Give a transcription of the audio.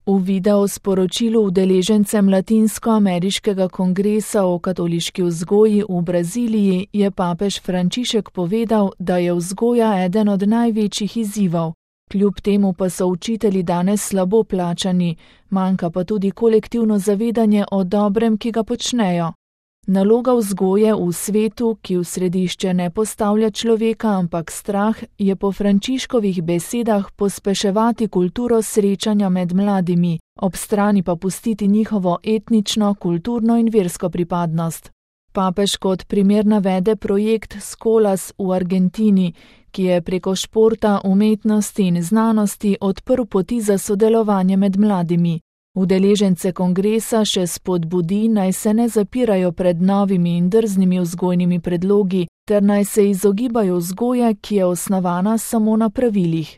V videosporočilu udeležencem Latinskoameriškega kongresa o katoliški vzgoji v Braziliji je papež Frančišek povedal, da je vzgoja eden od največjih izzivov. Kljub temu pa so učitelji danes slabo plačani, manjka pa tudi kolektivno zavedanje o dobrem, ki ga počnejo. Naloga vzgoje v svetu, ki v središče ne postavlja človeka, ampak strah, je po Frančiškovih besedah pospeševati kulturo srečanja med mladimi, ob strani pa pustiti njihovo etnično, kulturno in versko pripadnost. Papež kot primer navede projekt Skolas v Argentini, ki je preko športa, umetnosti in znanosti odprl poti za sodelovanje med mladimi. Udeležence kongresa še spodbudi, naj se ne zapirajo pred novimi in drznimi vzgojnimi predlogi, ter naj se izogibajo vzgoje, ki je osnovana samo na pravilih.